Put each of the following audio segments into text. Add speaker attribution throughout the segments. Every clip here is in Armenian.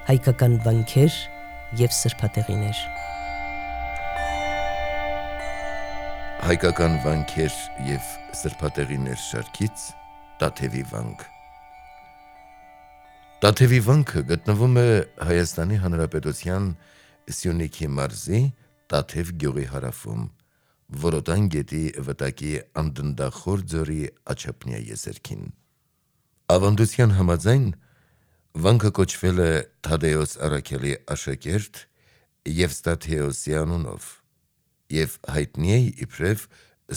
Speaker 1: հայկական վանքեր և սրբատեղիներ։
Speaker 2: Հայկական վանքեր և սրբատեղիներ շարքից Տաթևի վանք։ Տաթևի վանքը գտնվում է Հայաստանի Հանրապետության Սյունիքի մարզի Տաթև գյուղի հարավում, Որոտան գետի վտակի Անդնդախոր ձորի աջափնյա եզերքին։ Ավանդության համաձայն վանքը կոչվել է Թադեոս Առաքելի աշակերտ Եվստաթեոսի անունով և հայտնի է իբրև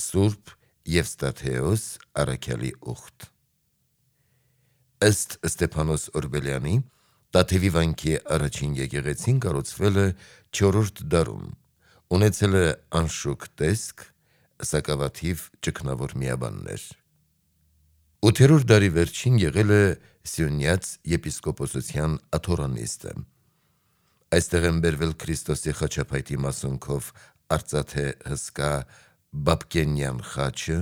Speaker 2: Սուրբ Եվստաթեոս Առաքյալի ուխտ։ Ըստ Ստեփանոս Օրբելյանի, Տաթևի վանքի առաջին եկեղեցին կառուցվել է 4-րդ դարում, ունեցել է անշուք տեսք, սակավաթիվ ճգնավոր միաբաններ։ 8-րդ դարի վերջին եղել է Սյունյաց եպիսկոպոսության աթոռանիստը։ Այստեղ են բերվել Քրիստոսի խաչափայտի մասունքով արծաթե հսկա Բաբկենյան խաչը,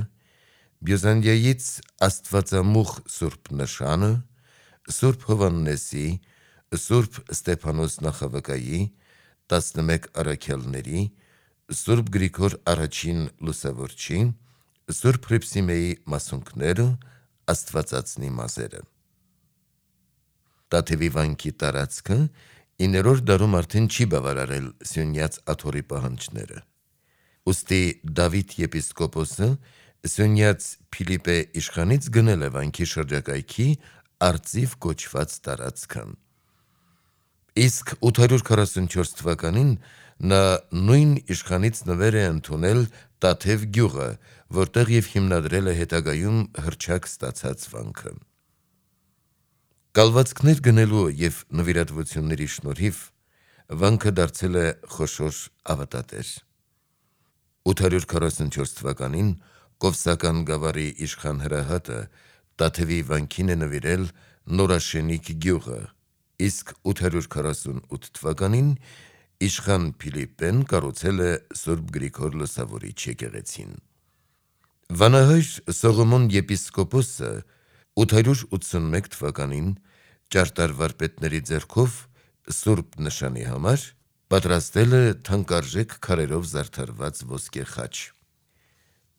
Speaker 2: Բյուզանդիայից Աստվածամուխ Սուրբ նշանը, Սուրբ Հովհաննեսի, Սուրբ Ստեփանոս Նախավկայի, 11 առաքյալների, Սուրբ Գրիգոր առաջին լուսավորչի, Սուրբ Հռիփսիմեի մասունքները, Աստվածածնի մազերը։ Տաթևի վանքի տարածքը 9-րդ դարում արդեն չի բավարարել Սյունյաց աթոռի պահանջները։ Ուստի Դավիթ եպիսկոպոսը Սյունյաց Փիլիպպե իշխանից գնել է վանքի շրջակայքի արծիվ կոչված տարածքը։ Իսկ 844 թվականին նա նույն իշխանից նվեր է ընդունել Տաթև գյուղը, որտեղ և հիմնադրել է հետագայում հռչակ ստացած վանքը։ Կալվածքներ գնելու և նվիրատվությունների շնորհիվ վանքը դարձել է խոշոր ավատատեր։ 844 թվականին Կովսական գավառի իշխան Հրահատը Տաթևի վանքին է նվիրել Նորաշենիկ գյուղը, իսկ 848 թվականին իշխան Փիլիպպեն կառուցել է Սուրբ Գրիգոր Լուսավորիչ եկեղեցին։ Վանահայր Սողոմոն եպիսկոպոսը 881 թվականին ճարտար վարպետների ձեռքով Սուրբ նշանի համար պատրաստել է թանկարժեք քարերով զարդարված ոսկե խաչ։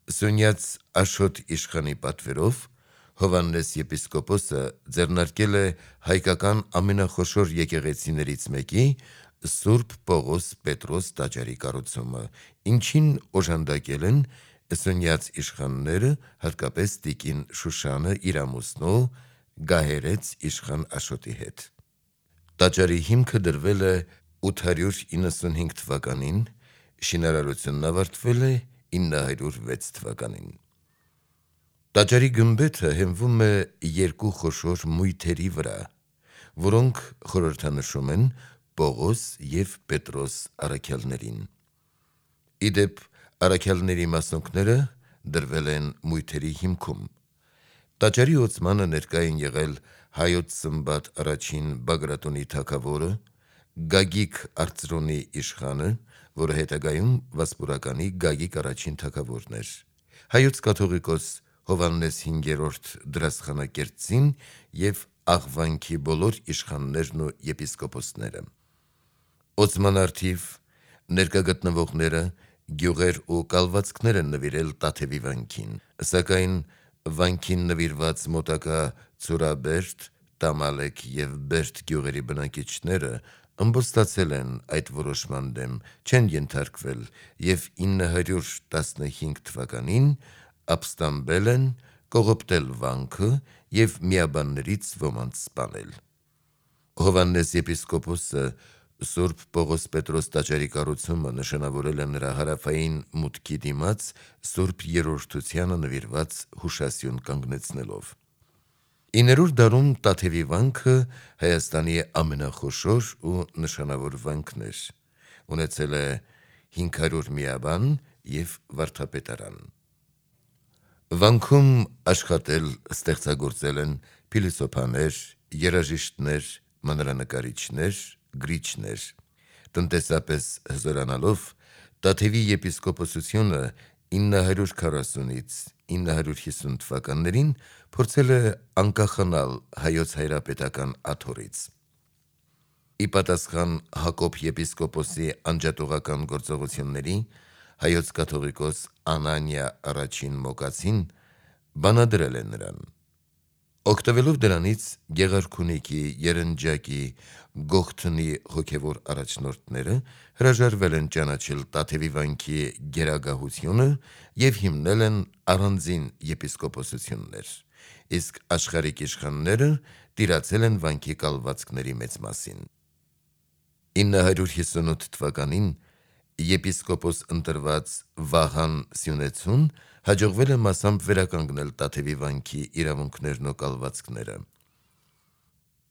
Speaker 2: Սյունյաց Աշոտ իշխանի պատվերով Հովհաննես եպիսկոպոսը ձեռնարկել է հայկական ամենախոշոր եկեղեցիներից մեկի Սուրբ Պողոս Պետրոս տաճարի կառուցումը, ինչին օժանդակել են սյունյաց իշխանները, հատկապես տիկին Շուշանը իր ամուսնու Գահերեց իշխան Աշոտի հետ։ Տաճարի հիմքը դրվել է 895 թվականին, շինարարությունն ավարտվել է 906 թվականին։ Տաճարի գմբեթը հենվում է երկու խոշոր մույթերի վրա, որոնք խորհրդանշում են Պողոս և Պետրոս առաքյալներին։ Ի դեպ, առաքյալների մասունքները դրվել են մույթերի հիմքում։ Տաճարի ոցմանը ներկա են եղել Հայոց Սմբատ առաջին Բագրատունի թագավորը, Գագիկ Արծրունի իշխանը, որը հետագայում Վասպուրականի Գագիկ առաջին թագավորն էր, Հայոց կաթողիկոս Հովհաննես V դրասխանակերտցին և Աղվանքի բոլոր իշխաններն ու եպիսկոպոսները։ Օծման առթիվ ներկա գտնվողները գյուղեր ու կալվածքներ են նվիրել Տաթևի վանքին, սակայն վանքին նվիրված մոտակա Ցուրաբերդ, Տամալեկ և Բերդ գյուղերի բնակիչները ըմբոստացել են այդ որոշման դեմ, չեն ենթարկվել և 915 թվականին ապստամբել են, կողոպտել վանքը և միաբաններից ոմանց սպանել։ Հովհաննես եպիսկոպոսը Սուրբ Պողոս Պետրոս տաճարի կառուցումը նշանավորել է նրա հարավային մուտքի դիմաց Սուրբ Երրորդությանը նվիրված հուշասյուն կանգնեցնելով։ 9-րդ դարում Տաթևի վանքը Հայաստանի ամենախոշոր ու նշանավոր վանքն էր, ունեցել է 500 միաբան և վարդապետարան։ Վանքում աշխատել, ստեղծագործել են փիլիսոփաներ, երաժիշտներ, մանրանկարիչներ, գրիչներ։ Տնտեսապես հզորանալով Տաթևի եպիսկոպոսությունը 940-ից 950 թվականներին փորձել է անկախանալ հայոց հայրապետական աթոռից։ ի պատասխան Հակոբ եպիսկոպոսի անջատողական գործողությունների հայոց կաթողիկոս Անանիա առաջին Մոկացին բանադրել է նրան։ Օգտվելով դրանից Գեղարքունիքի, Երնջակի, Գողթնի հոգևոր առաջնորդները հրաժարվել են ճանաչել Տաթևի վանքի գերագահությունը և հիմնել են առանձին եպիսկոպոսություններ, իսկ աշխարհիկ իշխանները տիրացել են վանքի կալվածքների մեծ մասին։ 958 թվականին եպիսկոպոս ընտրված Վահան Սյունեցուն հաջողվել է մասամբ վերականգնել Տաթևի վանքի իրավունքներն ու կալվածքները։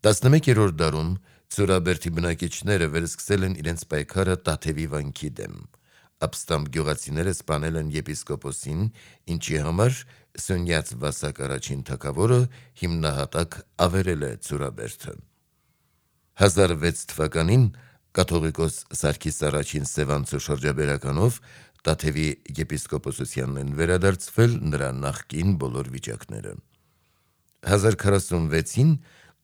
Speaker 2: 11-րդ դարում Ցուրաբերդի բնակիչները վերսկսել են իրենց պայքարը Տաթևի վանքի դեմ։ Ապստամբ գյուղացիները սպանել են եպիսկոպոսին, ինչի համար Սյունյաց Վասակ առաջին թագավորը հիմնահատակ ավերել է Ցուրաբերդը։ 1006 թվականին կաթողիկոս Սարգիս առաջին Սևանցու շրջաբերականով Տաթևի եպիսկոպոսությանն են վերադարձվել նրա նախկին բոլոր վիճակները։ 1046-ին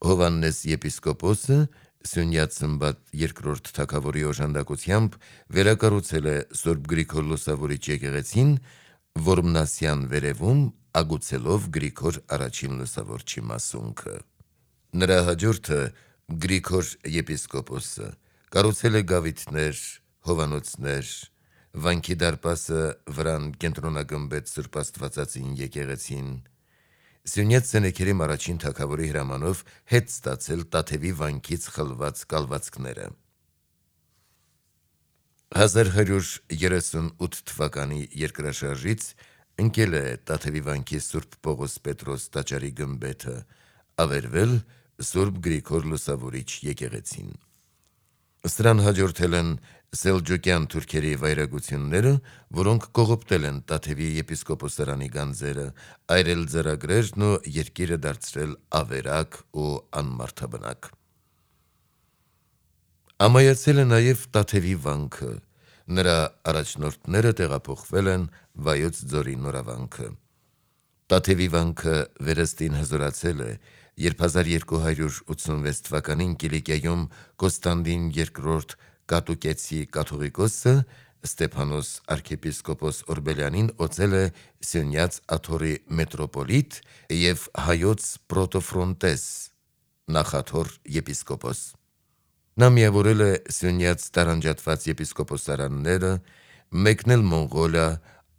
Speaker 2: Հովհաննես եպիսկոպոսը Սյունյաց Սմբատ II թագավորի օժանդակությամբ վերակառուցել է Սուրբ Գրիգոր Լուսավորիչ եկեղեցին Որմնասյան վերևում, ագուցելով Գրիգոր առաջին Լուսավորչի մասունքը։ Նրա հաջորդը Գրիգոր եպիսկոպոսը կառուցել է գավիթներ, հովանոցներ, վանքի դարպասը վրան կենտրոնագմբեց Սուրբ Աստվածածին եկեղեցին, Սյունյաց Սենեքերիմ առաջին թագավորի հրամանով հետ ստացել Տաթևի վանքից խլված կալվածքները։ 1138 թվականի երկրաշարժից ընկել է Տաթևի վանքի Սուրբ Պողոս Պետրոս տաճարի գմբեթը, ավերվել Սուրբ Գրիգոր Լուսավորիչ եկեղեցին։ Սրան հաջորդել են սելջուկյան թուրքերի վայրագությունները, որոնք կողոպտել են Տաթևի եպիսկոպոսարանի գանձերը, այրել ձեռագրերն ու երկիրը դարձրել ավերակ ու անմարդաբնակ։ Ամայացել է նաև Տաթևի վանքը, նրա առաջնորդները տեղափոխվել են Վայոց ձորի նորավանքը։ Տաթևի վանքը վերստին հզորացել է, երբ 1286 թվականին Կիլիկիայում Կոստանդին II Կատուկեցի կաթողիկոսը Ստեփանոս arczepiskopos Օրբելյանին օծել է Սյունյաց Աթոռի մետրոպոլիտ և հայոց պրոտոֆրոնտես նախաթոռ եպիսկոպոս։ Նա միավորել է Սյունյաց տարանջատված եպիսկոպոսարանները, մեկնել Մոնղոլիա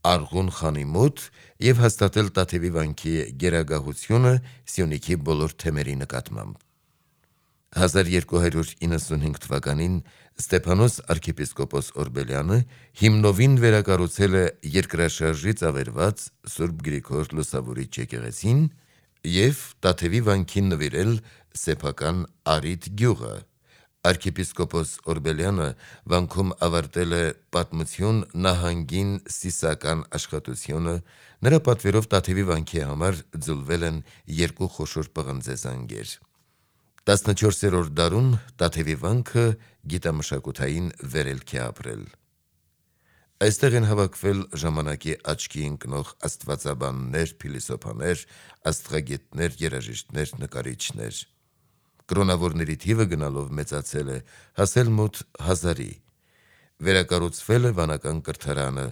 Speaker 2: Արղուն խանի մոտ և հաստատել Տաթևի վանքի գերագահությունը Սյունիքի բոլոր թեմերի նկատմամբ։ 1295 թվականին Ստեփանոս arczepiskopos Օրբելյանը հիմնովին վերակառուցել է երկրաշարժից ավերված Սուրբ Գրիգոր Լուսավորիչ եկեղեցին և Տաթևի վանքին նվիրել սեփական Արիդ գյուղը։ Arczepiskopos Օրբելյանը վանքում ավարտել է պատմություն նահանգին սիսական աշխատությունը, նրա պատվերով Տաթևի վանքի համար ձուլվել են 2 խոշոր պղնձե զանգեր։ 14-րդ դարում Տաթևի վանքը գիտամշակութային վերելք է ապրել։ Այստեղ են հավաքվել ժամանակի աչքի ընկնող աստվածաբաններ, փիլիսոփաներ, աստղագետներ, երաժիշտներ, նկարիչներ։ Կրոնավորների թիվը գնալով մեծացել է, հասել մոտ 1000-ի։ Վերակառուցվել է վանական կրթարանը,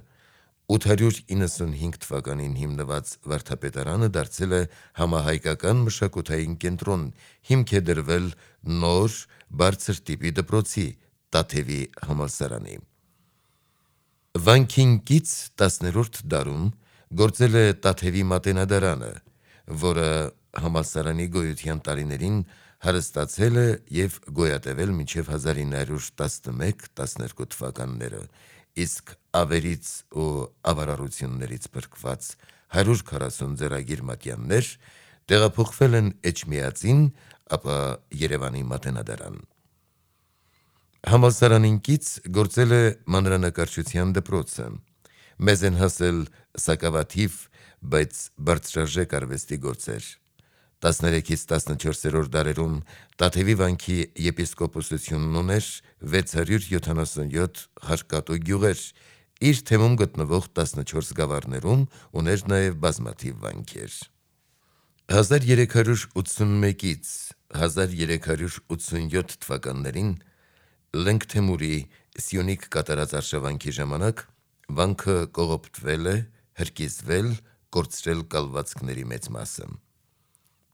Speaker 2: 895 թվականին հիմնված վարդապետարանը դարձել է համահայկական մշակութային կենտրոն, հիմք է դրվել նոր բարձր տիպի դպրոցի՝ Տաթևի համալսարանի։ Վանքին կից 10-րդ դարում գործել է Տաթևի մատենադարանը, որը համալսարանի գոյության տարիներին հարստացել է և գոյատևել մինչև 1911-12 թվականները, իսկ ավերից ու ավարառություններից փրկված 140 ձեռագիր մատյաններ տեղափոխվել են Էջմիածին, ապա Երևանի մատենադարան։ Համալսարանին կից գործել է մանրանկարչության դպրոցը, մեզ են հասել սակավաթիվ, բայց բարձրարժեք արվեստի գործեր։ 13-14-րդ դարերում Տաթևի վանքի եպիսկոպոսությունն ուներ 677 հարկատու գյուղեր, իր թեմում գտնվող 14 գավառներում ուներ նաև բազմաթիվ վանքեր։ 1381-ից 1387 թվականներին Լենք Թեմուրի Սյունիք կատարած արշավանքի ժամանակ վանքը կողոպտվել է, հրկիզվել, կորցրել կալվածքների մեծ մասը։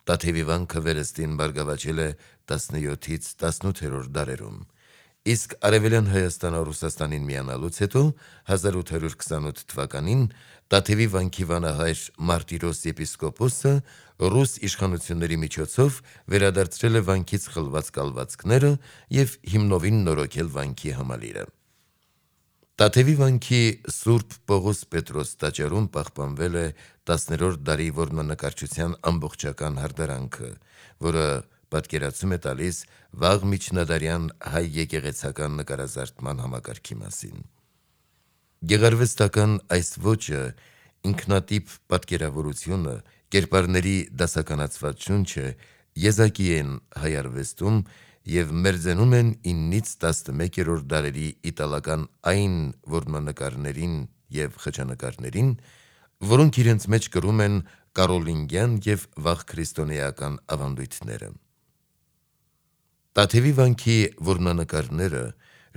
Speaker 2: Տաթևի վանքը վերստին բարգավաճել է 17-ից 18-րդ դարերում, իսկ Արևելյան Հայաստանը Ռուսաստանին միանալուց հետո 1828 թվականին Տաթևի վանքի վանահայր Մարտիրոս եպիսկոպոսը ռուս իշխանությունների միջոցով վերադարձրել է վանքից խլված կալվածքները և հիմնովին նորոգել վանքի համալիրը։ Տաթևի վանքի Սուրբ Պողոս Պետրոս տաճարում պահպանվել է 10-րդ դարի որմնանկարչության ամբողջական հարդարանքը, որը պատկերացում է տալիս վաղ միջնադարյան հայ եկեղեցական նկարազարդման համակարգի մասին։ Գեղարվեստական այս ոճը, ինքնատիպ պատկերավորությունը, կերպարների դասականացված շունչը եզակի են հայ արվեստում և մերձենում են 9-ից 11-րդ դարերի իտալական այն որմնանկարներին և խճանկարներին, որոնք իրենց մեջ կրում են կարոլինգյան և վաղ քրիստոնեական ավանդույթները։ Տաթևի վանքի որմնանկարները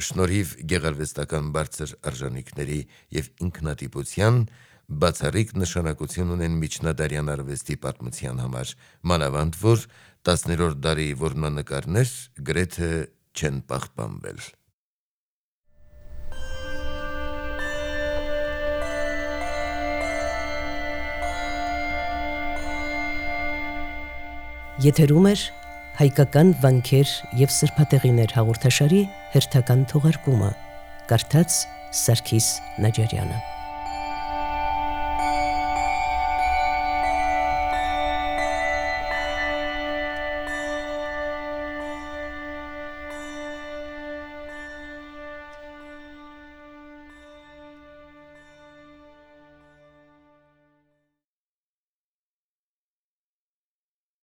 Speaker 2: շնորհիվ գեղարվեստական բարձր արժանիքների և ինքնատիպության բացառիկ նշանակություն ունեն միջնադարյան արվեստի պատմության համար, մանավանդ որ 10-րդ դարի որմնանկարներ գրեթե չեն պահպանվել։
Speaker 1: Եթերում է հայկական վանքեր և սրբատեղիներ հաղորդաշարի հերթական թողարկումը, կարդաց Սարգիս Նաջարյանը։